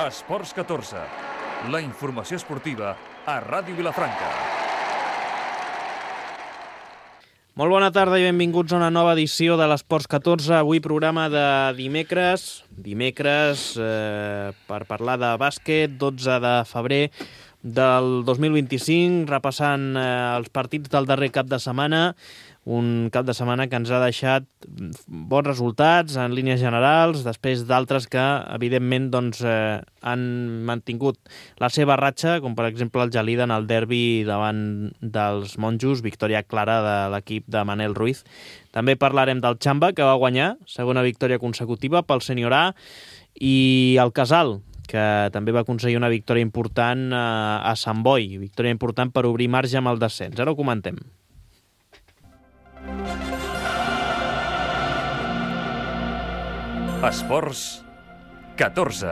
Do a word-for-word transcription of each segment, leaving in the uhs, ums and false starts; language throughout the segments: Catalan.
Esports catorze, la informació esportiva a Ràdio Vilafranca. Molt bona tarda i benvinguts a una nova edició de l'Esports catorze. Avui programa de dimecres, dimecres eh, per parlar de bàsquet, dotze de febrer del dos mil vint-i-cinc, repassant eh, els partits del darrer cap de setmana, un cap de setmana que ens ha deixat bons resultats en línies generals, després d'altres que, evidentment, doncs, eh, han mantingut la seva ratxa, com per exemple el Gelida en el derbi davant dels monjos, victòria clara de l'equip de Manel Ruiz. També parlarem del Xamba, que va guanyar, segona victòria consecutiva pel Sènior A, i el Casal, que també va aconseguir una victòria important a Sant Boi, victòria important per obrir marge amb el descens. Ara ho comentem. Esports catorze.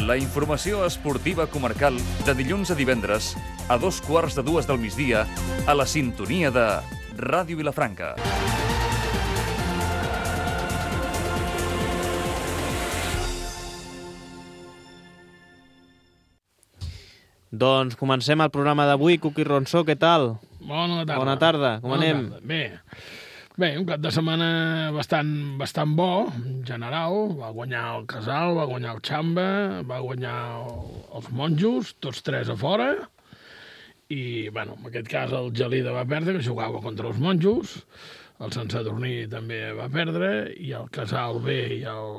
La informació esportiva comarcal de dilluns a divendres a dos quarts de dues del migdia a la sintonia de Ràdio Vilafranca. Doncs comencem el programa d'avui. Cuqui Ronsó, què tal? Bona tarda. Bona tarda, com Bona anem? Tarda. Bé. Bé, un cap de setmana bastant, bastant bo, en general. Va guanyar el Casal, va guanyar el Xamba, va guanyar el, els monjos, tots tres a fora. I, bueno, en aquest cas el Gelida va perdre, que jugava contra els monjos. El Sant Sadurní també va perdre, i el Casal B i el,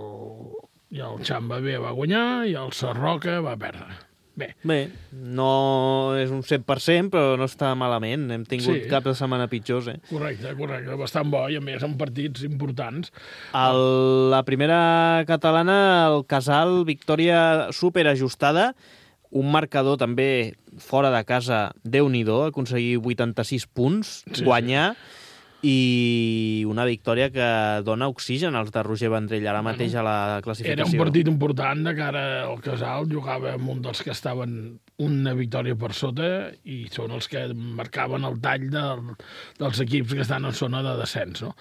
i el Xamba B va guanyar, i el Sarroca va perdre. Bé. Bé, no és un cent per cent, però no està malament. Hem tingut Sí. cap de setmana pitjors, eh? Correcte, correcte. Bastant bo, i a més són partits importants. El, la primera catalana, el Casal, victòria superajustada, un marcador també fora de casa, Déu-n'hi-do, aconseguir vuitanta-sis punts, Sí, guanyar, sí. I una victòria que dona oxigen als de Roger Vendrell ara mateix a la classificació. Era un partit important de cara al Casal, jugava amb un dels que estaven una victòria per sota i són els que marcaven el tall del, dels equips que estan en zona de descens, no?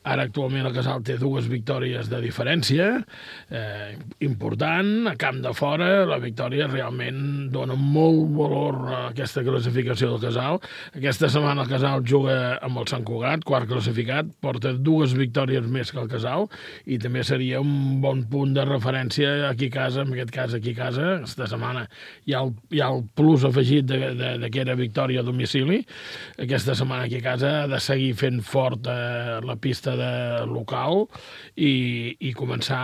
Ara actualment el Casal té dues victòries de diferència, eh, important, a camp de fora, la victòria realment dona molt valor a aquesta classificació del Casal. Aquesta setmana el Casal juga amb el Sant Cugat, quart classificat, porta dues victòries més que el Casal, i també seria un bon punt de referència aquí a casa, en aquest cas aquí a casa, aquesta setmana hi ha el, hi ha el plus afegit de, de, de que era victòria a domicili. Aquesta setmana aquí a casa ha de seguir fent fort eh, la pista de local i, i començar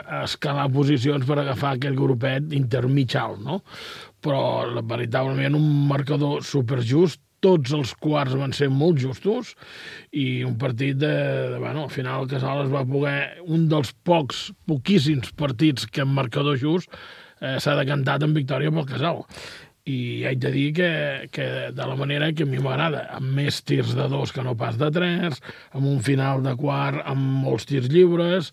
a escalar posicions per agafar aquell grupet intermig alt, no? Però veritablement un marcador superjust, tots els quarts van ser molt justos i un partit de, de bueno, al final el Casal es va poder, un dels pocs, poquíssims partits que en marcador just eh, s'ha decantat en victòria pel Casal. I haig de dir que, que de la manera que a mi m'agrada, amb més tirs de dos que no pas de tres, amb un final de quart amb molts tirs lliures.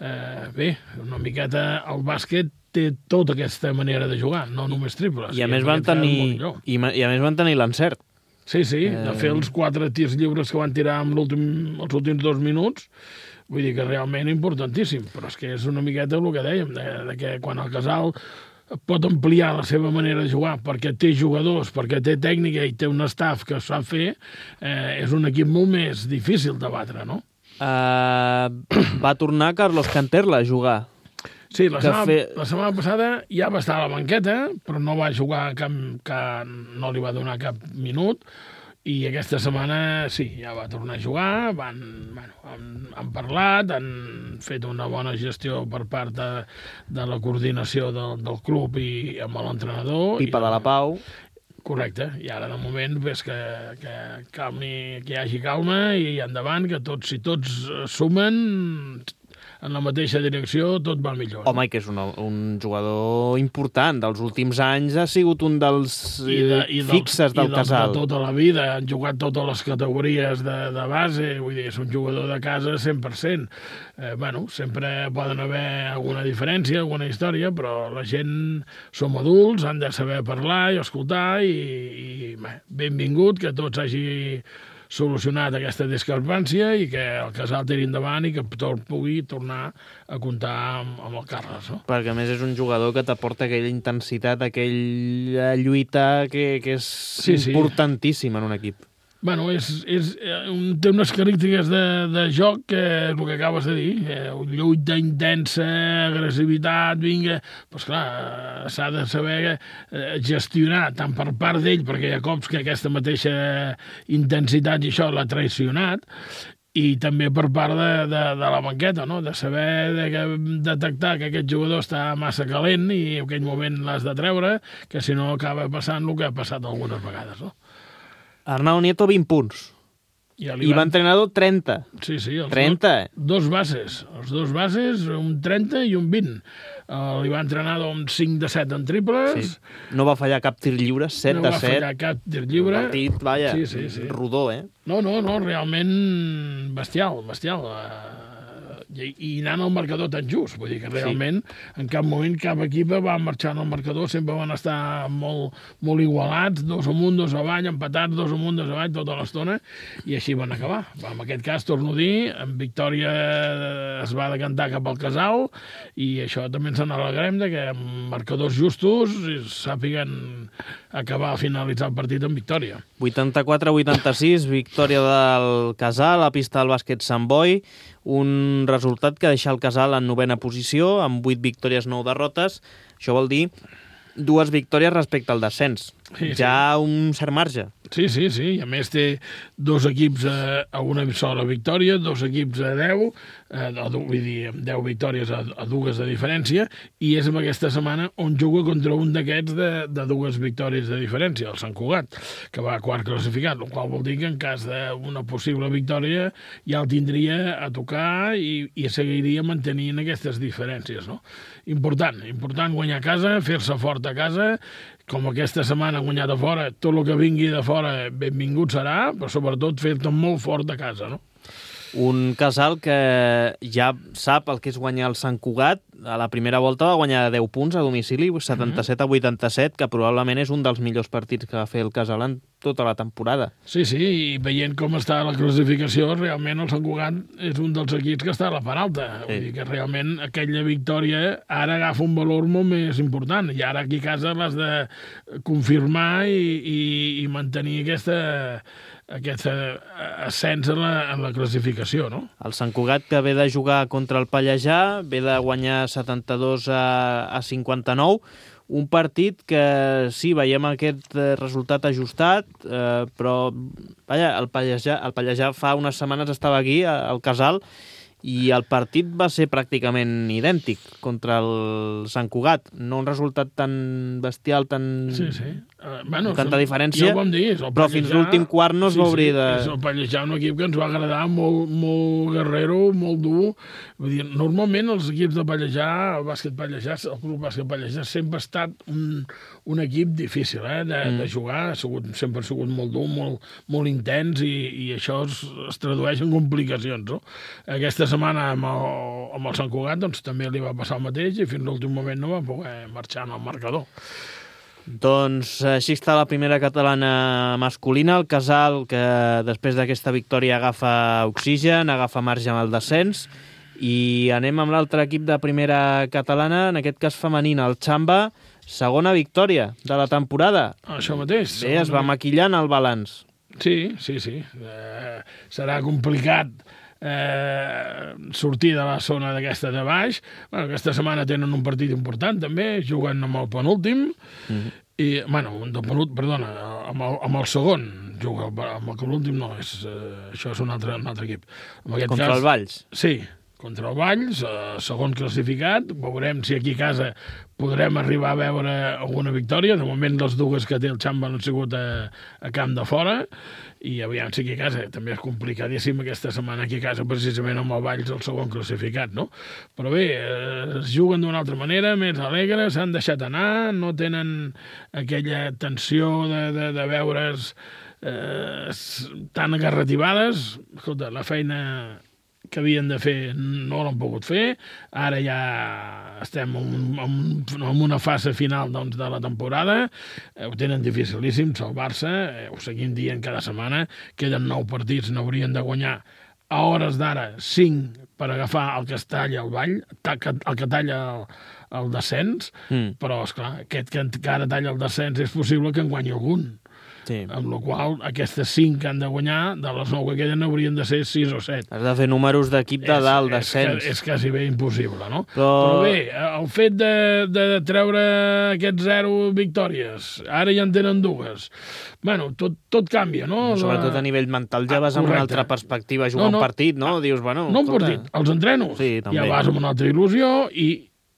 Eh, bé, una miqueta el bàsquet té tota aquesta manera de jugar, no només triples. I a més van tenir, i, i a més van tenir l'encert. Sí, sí, de fer els quatre tirs lliures que van tirar amb l'últim, els últims dos minuts, vull dir que realment importantíssim, però és que és una miqueta el que dèiem, de, de que quan el Casal pot ampliar la seva manera de jugar perquè té jugadors, perquè té tècnica i té un staff que sap fer, eh, és un equip molt més difícil de batre, no? Uh, va tornar Carlos Canterla a jugar. Sí, la setmana, fe... la setmana passada ja va estar a la banqueta, però no va jugar cap, cap, no li va donar cap minut, i aquesta setmana sí, ja va tornar a jugar, van, bueno, han, han parlat, han fet una bona gestió per part de, de la coordinació del, del club i amb l'entrenador. Pipa de la Pau. Correcte, i ara de moment ves que, que, calmi, que hi hagi calma i endavant, que tots, si tots sumen en la mateixa direcció, tot va millor. Home, i que és un, un jugador important. Dels últims anys ha sigut un dels I de, i fixes dels, del i Casal. I de tota la vida. Han jugat totes les categories de, de base. Vull dir, és un jugador de casa cent per cent. Eh, bueno, sempre poden haver alguna diferència, alguna història, però la gent som adults, han de saber parlar i escoltar i, i bé, benvingut que tots hagi solucionat aquesta discrepància i que el Casal tiri endavant i que tot pugui tornar a comptar amb, amb el Carles. No? Perquè, a més, és un jugador que t'aporta aquella intensitat, aquella lluita que, que és sí, importantíssima sí. en un equip. Bueno, és, és, un, té unes característiques de, de joc que és el que acabes de dir, eh, lluita intensa, agressivitat, vinga, doncs clar, s'ha de saber eh, gestionar tant per part d'ell, perquè hi ha cops que aquesta mateixa intensitat i això l'ha traicionat, i també per part de, de, de la banqueta, no? De saber de que, detectar que aquest jugador està massa calent i en aquell moment l'has de treure, que si no acaba passant el que ha passat algunes vegades, no? Arnau Nieto, vint punts. I, I va entrenador, trenta. Sí, sí. Els trenta. Do, dos bases. Els dos bases, un trenta i un vint. Uh, li va entrenador amb cinc de set en triples. Sí. No va fallar cap tir lliure, set no de set. No va fallar cap tir lliure. Un partit, vaja, sí, sí, sí. rodó, eh? No, no, no, realment bestial, bestial. Uh, i, i anant al marcador tan just. Vull dir que realment sí. en cap moment cap equip va marxar al marcador, sempre van estar molt, molt igualats, dos amunt, dos avall, empatats, dos amunt, dos avall, tota l'estona, i així van acabar. En aquest cas, torno a dir, en victòria es va decantar cap al Casal, i això també ens n'alegrem, que amb marcadors justos sàpiguen acabar, finalitzar el partit en victòria. vuitanta-quatre a vuitanta-sis, victòria del Casal, a pista del bàsquet Sant Boi, un resultat que deixa el Casal en novena posició, amb vuit victòries, nou derrotes. Això vol dir dues victòries respecte al descens. Sí, ja sí. un cert marge. Sí, sí, sí. I a més té dos equips a, a una sola victòria, dos equips a deu, eh, vull dir, amb deu victòries a, a dues de diferència, i és en aquesta setmana on juga contra un d'aquests de, de dues victòries de diferència, el Sant Cugat, que va quart classificat, el qual vol dir que en cas d'una possible victòria ja el tindria a tocar i, i seguiria mantenint aquestes diferències, no? Important, important guanyar a casa, fer-se fort a casa, com aquesta setmana ha guanyat a fora, tot el que vingui de fora benvingut serà, però sobretot fer-te molt fort a casa, no? Un Casal que ja sap el que és guanyar el Sant Cugat. A la primera volta va guanyar deu punts a domicili, setanta-set a vuitanta-set, que probablement és un dels millors partits que va fer el Casal en tota la temporada. Sí, sí, i veient com està la classificació, realment el Sant Cugat és un dels equips que està a la part alta. Sí. Vull dir que realment aquella victòria ara agafa un valor molt més important, i ara aquí a casa l'has de confirmar i, i, i mantenir aquesta... aquest ascens en la, en la classificació, no? El Sant Cugat, que ve de jugar contra el Pallejà, ve de guanyar setanta-dos a cinquanta-nou, un partit que sí, veiem aquest resultat ajustat, eh, però vaja, el Pallejà, el Pallejà fa unes setmanes estava aquí, al Casal, i el partit va ser pràcticament idèntic contra el Sant Cugat. No un resultat tan bestial, tan... Sí, sí. Uh, bueno, tanta diferència, ja ho vam dir, però fins l'últim quart no es sí, va obrir sí, de... És el Pallejà, un equip que ens va agradar, molt, molt guerrero, molt dur. Vull dir, normalment els equips de Pallejà, el bàsquet Pallejà, el club bàsquet Pallejà, sempre ha estat un, un equip difícil eh, de, mm. de jugar, ha sigut, sempre ha sigut molt dur, molt, molt intens, i, i això es, es tradueix en complicacions, no? Aquesta setmana amb el, amb el Sant Cugat doncs, també li va passar el mateix, i fins l'últim moment no va poder marxar en el marcador. Doncs així està la primera catalana masculina, el Casal, que després d'aquesta victòria agafa oxigen, agafa marge amb el descens, i anem amb l'altre equip de primera catalana, en aquest cas femenina, el Xamba, segona victòria de la temporada. Això mateix. Bé, es va maquillant el balanç. Sí, sí, sí. Eh, serà complicat eh, sortir de la zona d'aquesta de baix. Bueno, aquesta setmana tenen un partit important també, juguen amb el penúltim, mm-hmm. i, bueno, un penúltim, perdona, amb el, amb el segon, juga amb el penúltim, no, és, eh, això és un altre, un altre equip. Contra cas, el Valls? Sí, contra el Valls, eh, segon classificat, veurem si aquí a casa podrem arribar a veure alguna victòria. De moment les dues que té el Xamba han sigut a, a camp de fora, i aviam si aquí a casa també és complicadíssim aquesta setmana aquí a casa, precisament amb el Valls el segon classificat, no? Però bé, eh, es juguen d'una altra manera, més alegre, s'han deixat anar, no tenen aquella tensió de, de, de veure's eh, tan agarrativades. Escolta, la feina que havien de fer no l'han pogut fer, ara ja estem en, en, en una fase final doncs, de la temporada, eh, ho tenen dificilíssim salvar-se, eh, ho seguim dient cada setmana, queden nou partits, n'haurien de guanyar a hores d'ara cinc per agafar el que es talla al Vall, el que talla el, el descens, mm. però, esclar, aquest que encara talla el descens és possible que en guanyi algun. Sí. Amb la qual aquestes cinc que han de guanyar, de les nou que queden, haurien de ser sis o set. Has de fer números d'equip de dalt, descens. És, és quasi bé impossible, no? Però, Però bé, el fet de, de treure aquests zero victòries, ara ja en tenen dues, bueno, tot, tot canvia, no? Sobretot a nivell mental ja vas ah, amb una altra perspectiva a jugar no, no, un partit, no? Dius, bueno, no un partit, els entrenos. Sí, ja vas amb una altra il·lusió i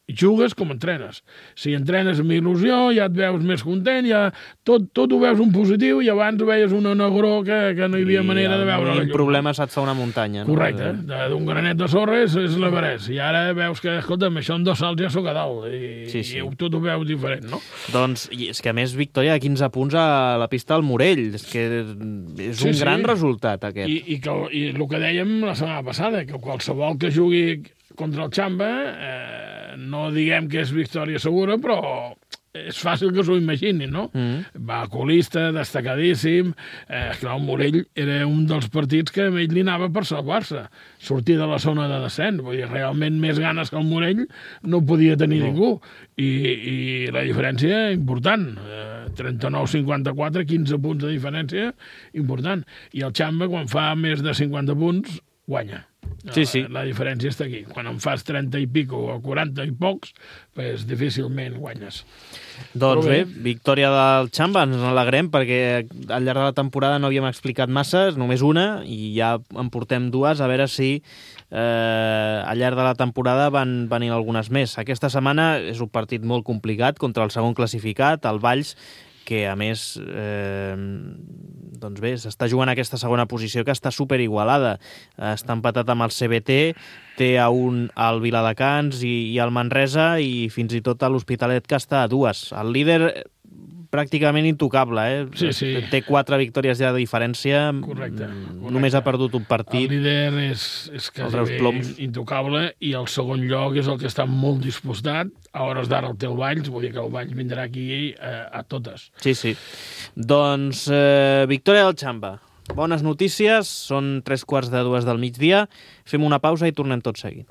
jugues com entrenes. Si entrenes amb il·lusió, ja et veus més content, ja tot, tot ho veus un positiu i abans veies una negró que, que no hi havia I manera de veure la llum. I el problema se't fa una muntanya. No? Correcte. D'un granet de sorra és, és l'Everest. I ara veus que, escolta'm, això en dos salts ja sóc a dalt. I, sí, sí. i tot ho veus diferent, no? Doncs, és que a més, victòria de quinze punts a la pista del Morell. És que és un sí, gran sí. resultat, aquest. I, i, que, I el que dèiem la setmana passada, que qualsevol que jugui contra el Xamba, eh, no diguem que és victòria segura, però és fàcil que s'ho imaginin, no? Mm. Va colista, destacadíssim. Eh, clar, el Morell era un dels partits que a ell li anava per salvar-se, sortir de la zona de descens. Vull dir, realment més ganes que el Morell no podia tenir no. ningú. I, I la diferència important. Eh, trenta-nou cinquanta-quatre, quinze punts de diferència, important. I el Xamba, quan fa més de cinquanta punts, guanya. Sí, sí. La, la diferència està aquí. Quan en fas trenta i pico o quaranta i pocs, pues, difícilment guanyes. Doncs bé, bé, victòria del Xamba, ens n'alegrem perquè al llarg de la temporada no havíem explicat massa, només una, i ja en portem dues, a veure si eh, al llarg de la temporada van venir algunes més. Aquesta setmana és un partit molt complicat contra el segon classificat, el Valls, que a més eh, doncs bé, s'està jugant aquesta segona posició que està superigualada. Està empatat amb el C B T, té a un al Viladecans i, i al Manresa i fins i tot a l'Hospitalet que està a dues. El líder pràcticament intocable, eh? Sí, sí. Té quatre victòries ja de diferència. Correcte. correcte. Només ha perdut un partit. El líder és, és quasi bé intocable i el segon lloc és el que està molt dispostat. A hores d'ara el té el Valls, vull dir que el Valls vindrà aquí a, a totes. Sí, sí. Doncs eh, victòria del Xamba. Bones notícies, són tres quarts de dues del migdia. Fem una pausa i tornem tot seguit.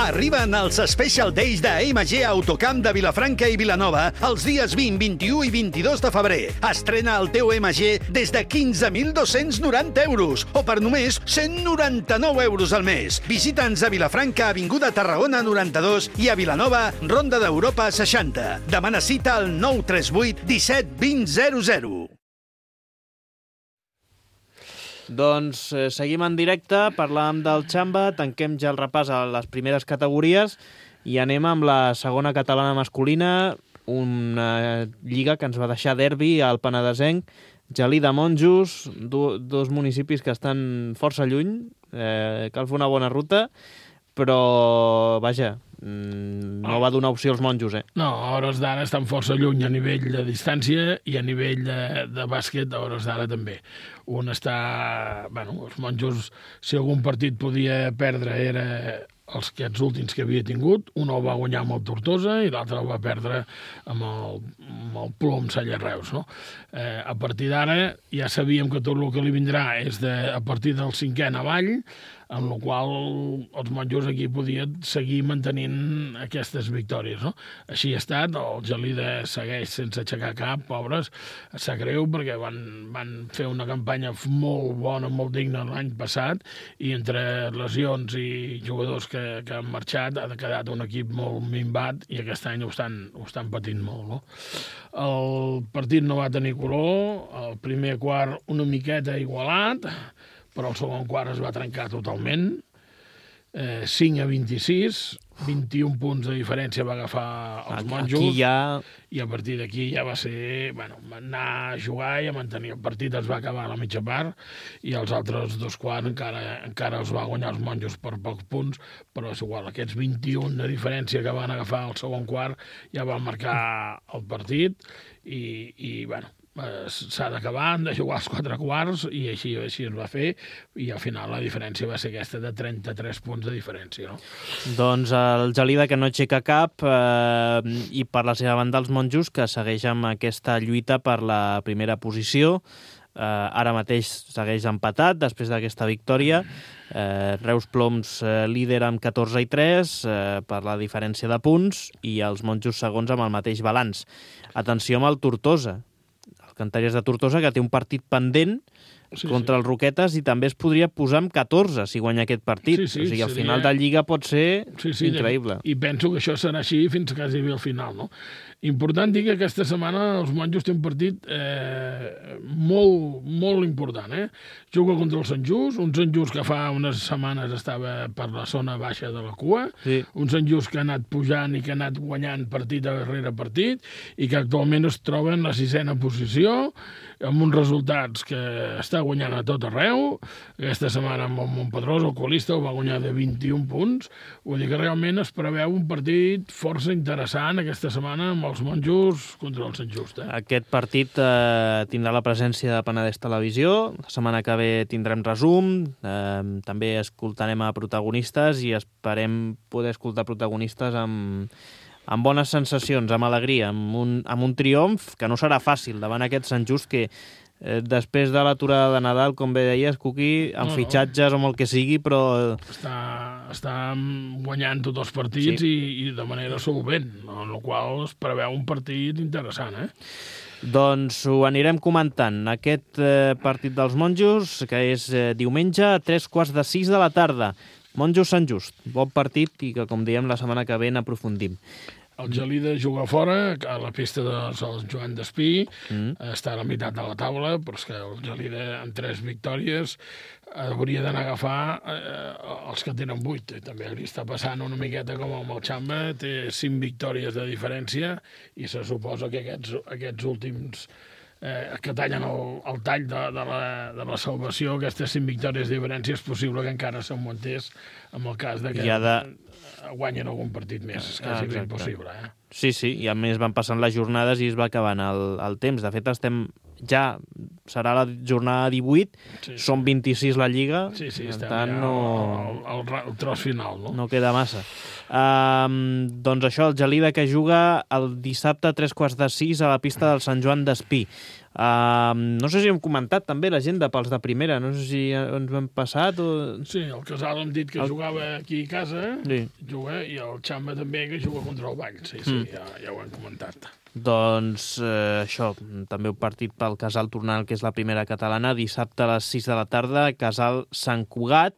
Arriben els Special Days de M G Autocamp de Vilafranca i Vilanova els dies vint, vint-i-u i vint-i-dos de febrer. Estrena el teu M G des de quinze mil dos-cents noranta euros o per només cent noranta-nou euros al mes. Visita'ns a Vilafranca, Avinguda Tarragona noranta-dos i a Vilanova, Ronda d'Europa seixanta. Demana cita al nou tres vuit disset vint zero zero. Doncs eh, seguim en directe, parlàvem del Xamba, tanquem ja el repàs a les primeres categories i anem amb la segona catalana masculina, una lliga que ens va deixar derbi al Penedesenc, Gelida, Monjos, do, dos municipis que estan força lluny, eh, cal fer una bona ruta, però, vaja, no va donar opció als monjos, eh? No, a hores d'ara estan força lluny a nivell de distància i a nivell de, de bàsquet a hores d'ara també. Un està... Bueno, els monjos, si algun partit podia perdre, era els aquests últims que havia tingut. Un el va guanyar amb el Tortosa i l'altre el va perdre amb el, amb el Plom Salles-Reus, no? Eh, a partir d'ara ja sabíem que tot el que li vindrà és de, a partir del cinquè en avall, amb la qual els monjos aquí podien seguir mantenint aquestes victòries, no? Així ha estat, el Gelida segueix sense aixecar cap, pobres, sap greu perquè van, van fer una campanya molt bona, molt digna l'any passat i entre lesions i jugadors que, que han marxat ha quedat un equip molt minvat i aquest any ho estan, ho estan patint molt, no? El partit no va tenir color, el primer quart una miqueta igualat, però el segon quart es va trencar totalment, eh, cinc a vint-i-sis, vint-i-un punts de diferència va agafar els monjos, aquí ja... i a partir d'aquí ja va ser, bueno, anar a jugar i a mantenir el partit, es va acabar a la mitja part, i els altres dos quarts encara, encara els va guanyar els monjos per pocs punts, però és igual, aquests vint-i-un de diferència que van agafar el segon quart ja van marcar el partit, i, i bueno, s'ha d'acabar, han de jugar els quatre quarts, i així, així es va fer, i al final la diferència va ser aquesta de trenta-tres punts de diferència, no? Doncs el Gelida, que no aixeca cap, eh, i per la seva banda els monjos, que segueix amb aquesta lluita per la primera posició. Eh, ara mateix segueix empatat després d'aquesta victòria. Eh, Reus Ploms eh, líder amb catorze i tres eh, per la diferència de punts, i els monjos segons amb el mateix balanç. Atenció amb el Tortosa, el Cantaries de Tortosa, que té un partit pendent sí, contra sí. el Roquetes, i també es podria posar amb catorze si guanya aquest partit. Sí, sí, o sigui, al seria... final de Lliga pot ser sí, sí, increïble. I penso que això serà així fins quasi bé al final, no? Important dir que aquesta setmana els monjos té un partit eh, molt, molt important, eh? Juga contra el Sant Just, un Sant Just que fa unes setmanes estava per la zona baixa de la cua, sí. un Sant Just que ha anat pujant i que ha anat guanyant partit darrere partit, i que actualment es troba en la sisena posició, amb uns resultats que està guanyant a tot arreu. Aquesta setmana amb el Montpedrós, el colista, el va guanyar de vint-i-un punts. Vull dir que realment es preveu un partit força interessant aquesta setmana amb els monjos contra el Sant Just. Eh? Aquest partit eh, tindrà la presència de Penedès Televisió. La setmana que ve tindrem resum. Eh, també escoltarem a protagonistes i esperem poder escoltar protagonistes amb... amb bones sensacions, amb alegria, amb un, amb un triomf que no serà fàcil davant aquest Sant Just que eh, després de l'aturada de Nadal, com bé deies, Cuqui, amb no, fitxatges no. o amb el que sigui, però... Està, està guanyant tots els partits sí. i, i de manera solvent, no? En el qual es preveu un partit interessant, eh? Doncs ho anirem comentant. Aquest eh, partit dels monjos, que és eh, diumenge a tres quarts de sis de la tarda. Monjos Sant Just, bon partit i que, com diem, la setmana que ve n'aprofundim. El Gelida juga fora, a la pista de Sant Joan d'Espí, mm. està a la meitat de la taula, però és que el Gelida, amb tres victòries, hauria d'anar a agafar eh, els que tenen vuit. També li està passant una miqueta com amb el Xamba, té cinc victòries de diferència, i se suposa que aquests, aquests últims... Eh, que tallen el, el tall de, de, la, de la salvació, aquestes cinc victòries de diferència, és possible que encara s'augmentés amb el cas de que ja de... guanyen algun partit més. És quasi ben possible. Eh? Sí, sí, i a més van passant les jornades i es va acabant el, el temps. De fet, estem ja... serà la jornada divuit, sí, sí. són vint-i-sis la Lliga, sí, sí, per tant ja no... El, el, el tros final, no? No queda massa. Um, doncs això, el Gelida que juga el dissabte a tres quarts de sis a la pista del Sant Joan d'Espí. Um, no sé si hem comentat també l'agenda pels de primera, no sé si ens ho hem passat o... Sí, el Casal hem dit que el... jugava aquí a casa, sí. juga, i el Xamba també que juga contra el Vall, sí, sí, mm. ja, ja ho hem comentat. Doncs eh, això, també un partit pel Casal tornant, que és la primera catalana, dissabte a les sis de la tarda, Casal Sant Cugat,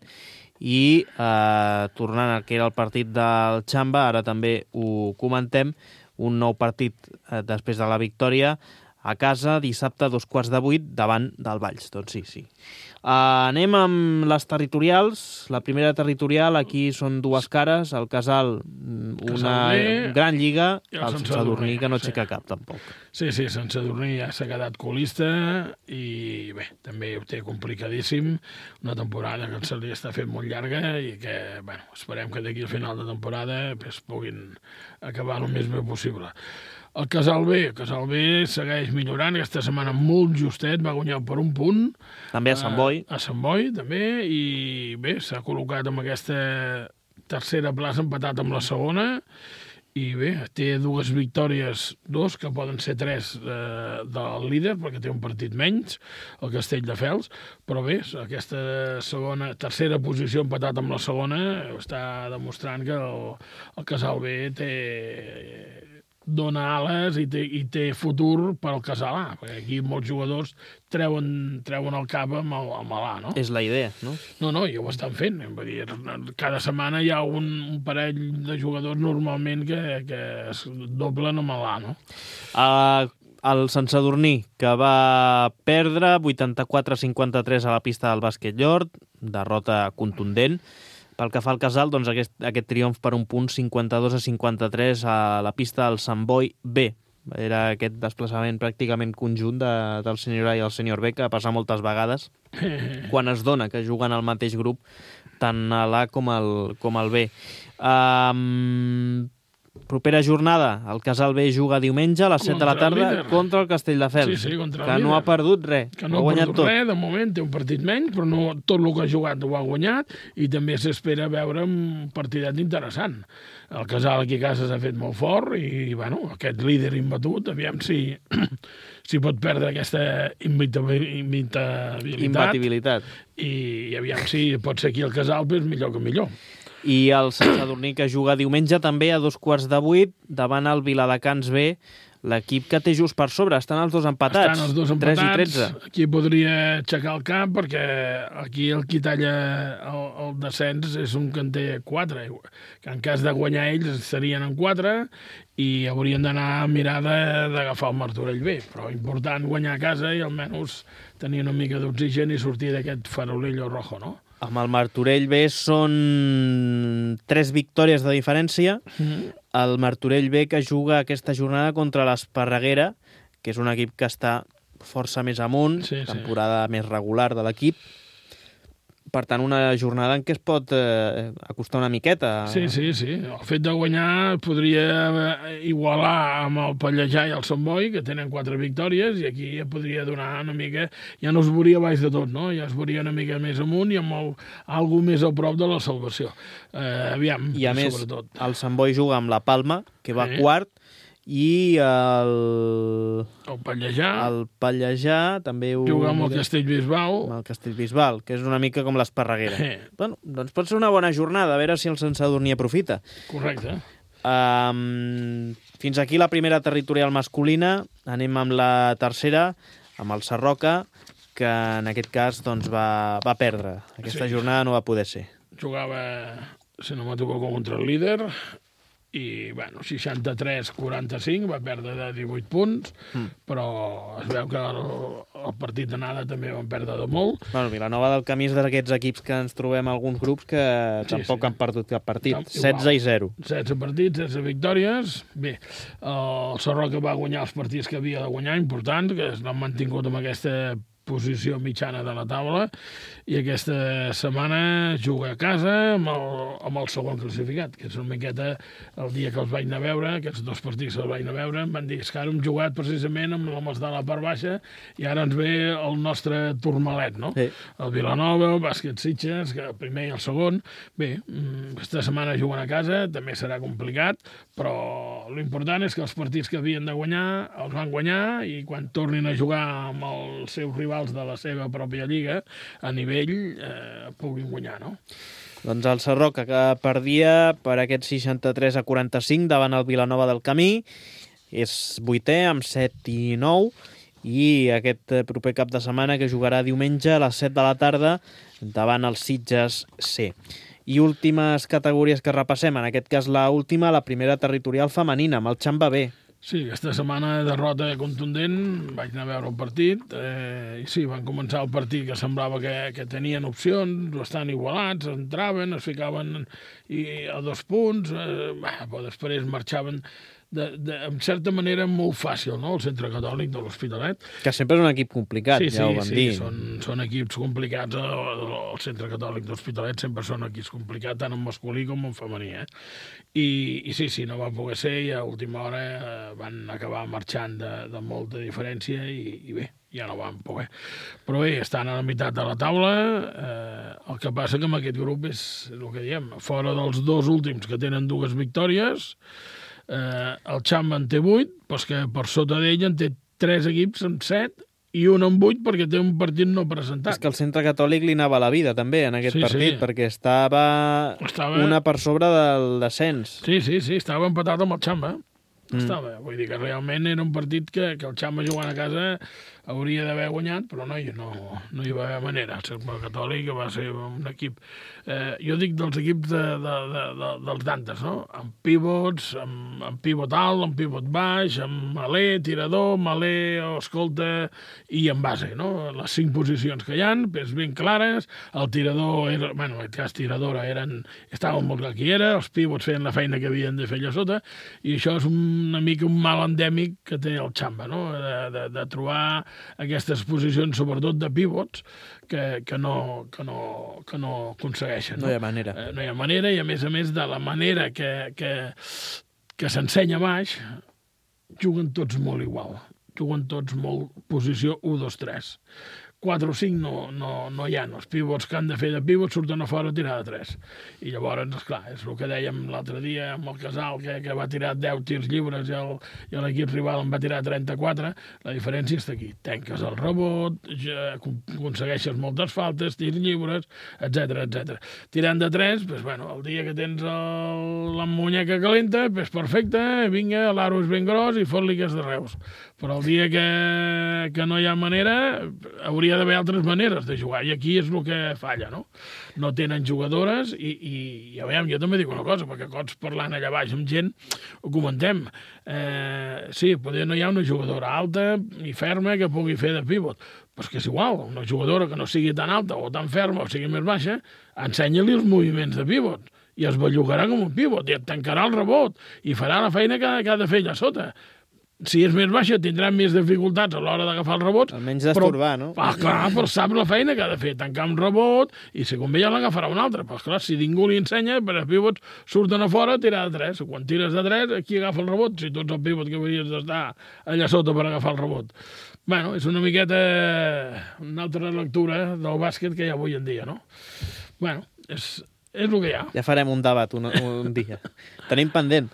i eh, tornant al que era el partit del Xamba, ara també ho comentem, un nou partit eh, després de la victòria, a casa, dissabte a dos quarts de vuit, davant del Valls. Doncs sí, sí. Uh, anem amb les territorials. La primera territorial, aquí són dues cares. El Casal, una Casal gran lliga. El Sant Sadurní, que no aixeca sí. cap, tampoc. Sí, sí, Sant Sadurní ja s'ha quedat colista i bé, també ho té complicadíssim. Una temporada que se li està fent molt llarga i que, bueno, esperem que d'aquí al final de temporada pues, puguin acabar el més bé possible. El Casal B, el Casal B segueix millorant, aquesta setmana molt justet, va guanyar per un punt. També a Sant Boi. A, a Sant Boi, també, i bé, s'ha col·locat amb aquesta tercera plaça, empatat amb la segona, i bé, té dues victòries, dos, que poden ser tres eh, del líder, perquè té un partit menys, el Castelldefels, però bé, aquesta segona, tercera posició empatat amb la segona, està demostrant que el, el Casal B té... dona ales i té, i té futur per al Casalà, perquè aquí molts jugadors treuen, treuen el cap amb el, amb l'A, no? És la idea, no? No, no, i ho estan fent. Vull dir, cada setmana hi ha un, un parell de jugadors normalment que, que es doblen amb l'A, no? Uh, el Sant Sadurní, que va perdre vuitanta-quatre a cinquanta-tres a la pista del Bàsquet Llort, derrota contundent. Pel que fa al Casal, doncs aquest, aquest triomf per un punt, cinquanta-dos a cinquanta-tres a la pista del Sant Boi B. Era aquest desplaçament pràcticament conjunt de, del senyor A i el senyor B, que passa moltes vegades, quan es dona que juguen al mateix grup, tant a l'A com al, com al B. Um, propera jornada, el Casal B juga diumenge a les set de la tarda contra el Castelldefels, sí, sí, contra que no ha perdut res, que no ha perdut res, de moment té un partit menys, però no, tot el que ha jugat ho ha guanyat, i també s'espera veure un partidet interessant. El Casal aquí a casa s'ha fet molt fort i, bueno, aquest líder imbatut, aviam si, si pot perdre aquesta imbatibilitat, imbatibilitat. I, i aviam si pot ser aquí el Casal, doncs millor que millor. I el Sant Sadurní, que juga diumenge també a dos quarts de vuit davant el Viladecans B, l'equip que té just per sobre. Estan els dos empatats, Estan els dos empatats, tres i tretze. Aquí podria aixecar el cap, perquè aquí el qui talla el, el descens és un que en té quatre, que en cas de guanyar ells estarien en quatre i haurien d'anar a mirar d'agafar el Martorell B. Però important guanyar a casa i almenys tenir una mica d'oxigen i sortir d'aquest farolillo rojo, no? Amb el Martorell B són tres victòries de diferència. Mm-hmm. El Martorell B que juga aquesta jornada contra l'Esparreguera, que és un equip que està força més amunt, sí, temporada sí. més regular de l'equip. Per tant, una jornada en què es pot eh, acostar una miqueta. Sí, sí, sí. El fet de guanyar podria igualar amb el Pallejà i el Sant Boi, que tenen quatre victòries, i aquí ja podria donar una mica... Ja no es veuria baix de tot, no? Ja es veuria una mica més amunt i amb el, algú més a prop de la salvació. Eh, aviam, I a més, sobretot. El Sant Boi juga amb la Palma, que va eh. quart, i el... El Pallejà. El Pallejà també ho... Juga amb el Castellbisbal. Amb el Castellbisbal, que és una mica com l'Esparreguera. Eh. Bueno, doncs pot ser una bona jornada, a veure si el Sant Sadurní aprofita. Correcte. Um, fins aquí la primera territorial masculina. Anem amb la tercera, amb el Sarroca, que en aquest cas doncs, va, va perdre. Aquesta sí. jornada no va poder ser. Jugava, si no m'equivoco, contra el líder... i, bueno, seixanta-tres a quaranta-cinc, va perdre de divuit punts, mm. però es veu que el, el partit d'anada també van perdre de molt. Bueno, Vilanova del Camí és d'aquests equips que ens trobem alguns grups que sí, tampoc sí. han perdut cap partit. No, setze i zero. setze partits, setze victòries. Bé, el Sarroca va guanyar els partits que havia de guanyar, important, que l'han mantingut amb aquesta posició mitjana de la taula, i aquesta setmana juga a casa amb el, amb el segon classificat, que és una miqueta el dia que els vaig anar a veure, aquests dos partits que els vaig anar a veure, em van dir que ara hem jugat precisament amb l'homes de la part baixa i ara ens ve el nostre turmalet, no? Sí. El Vilanova, el Bàsquet Sitges, que el primer i el segon. Bé, aquesta setmana juguen a casa, també serà complicat, però l'important és que els partits que havien de guanyar els van guanyar i quan tornin a jugar amb els seus rivals de la seva pròpia lliga, a nivell eh, puguin guanyar, no? Doncs el Sarroca, que perdia per aquest seixanta-tres a quaranta-cinc davant el Vilanova del Camí, és vuitè amb set i nou, i aquest proper cap de setmana que jugarà diumenge a les set de la tarda davant el Sitges C. I últimes categories que repassem, en aquest cas la última, la primera territorial femenina, amb el Xamba B. Sí, aquesta setmana derrota contundent, vaig anar a veure el partit, eh, i sí, van començar el partit que semblava que, que tenien opcions, bastant igualats, entraven, es ficaven i, a dos punts, eh, bah, però després marxaven de, de, en certa manera molt fàcil, no?, el Centre Catòlic de l'Hospitalet. Que sempre és un equip complicat, sí, ja sí, ho vam sí, dir. Sí, són, són equips complicats, el, el Centre Catòlic de l'Hospitalet sempre són equips complicats, tant en masculí com en femení, eh? I, i sí, sí, no va poder ser i a última hora eh, van acabar marxant de, de molta diferència i, i bé, ja no van poder. Però bé, estan a la meitat de la taula, eh, el que passa que amb aquest grup és el que diem, fora dels dos últims que tenen dues victòries, eh, el Xamba en té vuit, però que per sota d'ell en té tres equips amb set i un amb vuit perquè té un partit no presentat. És que el Centre Catòlic li anava a la vida també en aquest sí, partit, sí. perquè estava, estava una per sobre del descens. Sí, sí, sí, estava empatat amb el Xamba. Mm. Estava, vull dir que realment era un partit que, que el Xamba jugant a casa hauria d'haver guanyat, però no, no, no hi va haver manera. El Centre Catòlic va ser un equip... Eh, jo dic dels equips de, de, de, de, dels Dantes, no? Amb pivots, amb, amb pivot alt, amb pivot baix, amb maler, tirador, maler, escolta i en base, no? Les cinc posicions que hi ha, és ben clares. El tirador, era, bueno, en aquest cas tiradora, eren, estaven molt clar qui era, els pivots feien la feina que havien de fer allà sota, i això és una mica un mal endèmic que té el Xamba, no? De, de, de trobar aquestes posicions, sobretot de pivots, que, que, no, que, no, que no aconsegueixen. No, no hi ha manera. Eh, no hi ha manera, i a més a més de la manera que, que, que s'ensenya baix, juguen tots molt igual. Juguen tots molt posició u dos tres. quatre o cinc no, no, no hi ha. Els pivots que han de fer de pivot surten a fora a tirar de tres. I llavors, esclar, és el que dèiem l'altre dia amb el Casal, que, que va tirar deu tirs lliures i, el, i l'equip rival en va tirar trenta-quatre. La diferència està aquí. Tenques el rebot, ja, aconsegueixes moltes faltes, tirs lliures, etcètera, etcètera. Tirant de tres, pues, bueno, el dia que tens el, la muñeca calenta, pues, perfecte, vinga, l'aro és ben gros i fot-li que és de Reus. Però el dia que, que no hi ha manera, hauria d'haver altres maneres de jugar, i aquí és el que falla, no? No tenen jugadores, i, i, i a veure, jo també dic una cosa, perquè cots parlant allà baix amb gent, ho comentem. Eh, sí, potser no hi ha una jugadora alta i ferma que pugui fer de pivot, però és que és igual, una jugadora que no sigui tan alta o tan ferma o sigui més baixa, ensenya-li els moviments de pivot, i es bellugarà com un pivot, i et tancarà el rebot, i farà la feina que, que ha de fer allà sota. Si és més baixa, tindrà més dificultats a l'hora d'agafar el rebot. Almenys d'estorbar, no? Ah, clar, però sap la feina que ha de fer, tancar un rebot, i si convé ja l'agafarà un altre. Però, clar, si ningú li ensenya, per els pivots surten a fora a tirar de tres. Quan tires de tres, aquí agafa el rebot, si tu ets el pivot que hauries d'estar allà sota per agafar el rebot. Bueno, és una miqueta una altra lectura del bàsquet que hi ha avui en dia, no? Bueno, és, és el que hi ha. Ja farem un debat un, un dia. Tenim pendent.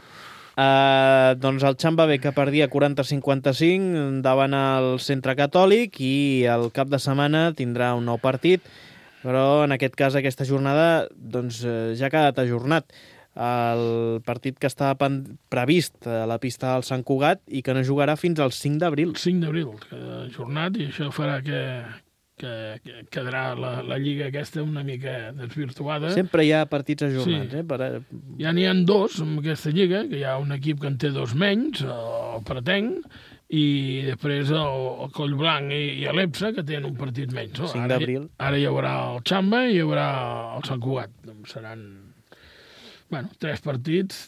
Uh, doncs el Xamba B que perdia quaranta a cinquanta-cinc davant el Centre Catòlic, i el cap de setmana tindrà un nou partit, però en aquest cas aquesta jornada doncs, ja ha quedat ajornat. El partit que estava previst a la pista del Sant Cugat i que no jugarà fins al cinc d'abril. cinc d'abril, queda ajornat, i això farà que, que, que quedarà la, la lliga aquesta una mica desvirtuada. Sempre hi ha partits ajornats, sí. eh? Per... Ja n'hi ha dos en aquesta lliga, que hi ha un equip que en té dos menys, el Pretenc, i després el, el Collblanc i, i l'Epsa, que tenen un partit menys. No? cinc d'abril. Ara, ara hi haurà el Xamba i hi haurà el Sant Cugat. Seran, bueno, tres partits,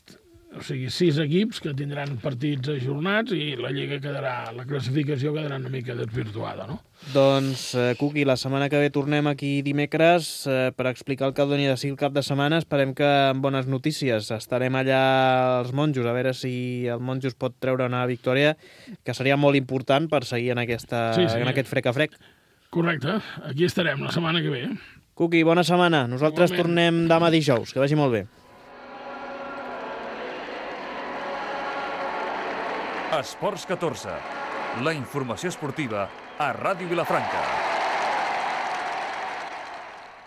o sigui, sis equips que tindran partits ajornats, i la lliga quedarà, la classificació quedarà una mica desvirtuada, no? Doncs, eh, Cuqui, la setmana que ve tornem aquí dimecres eh, per explicar el que doni de si el cap de setmana. Esperem que amb bones notícies. Estarem allà als Monjos, a veure si el Monjos pot treure una victòria, que seria molt important per seguir en, aquesta, sí, sí. en aquest frec a frec. Correcte, aquí estarem la setmana que ve. Cuqui, bona setmana. Nosaltres Igualment. tornem demà dijous. Que vagi molt bé. Esports catorze, la informació esportiva a Ràdio Vilafranca.